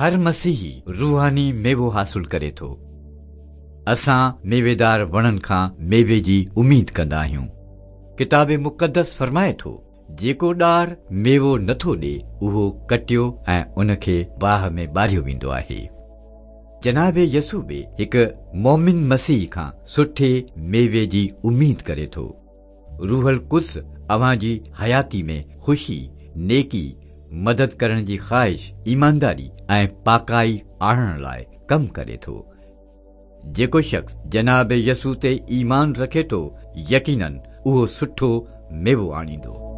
هر مسيحي روحاني ميوو حاصل ڪري ٿو. اسان ميويدار وڻن کان ميوي جي اميد ڪندا آهيون. ڪتاب مقدس فرمائي ٿو، جيڪو ڏار ميوو نٿو ڏي، اهو ڪٽيو ۽ ان کي باهه ۾ ٻاريو ويندو آهي. جناب يسوع به هڪ مؤمن مسيحي کان سٺي ميوي جي اميد ڪري ٿو. روح القدس اوهان جي حياتي ۾ خوشي، نيڪي، مدد ڪرڻ جي خواهش، ايمانداري ۽ پاڪائي آڻڻ لاء ڪم ڪري ٿو. جيڪو شخص جناب يسوع تي ايمان رکي ٿو، يقيناً اهو سٺو ميوو آڻيندو.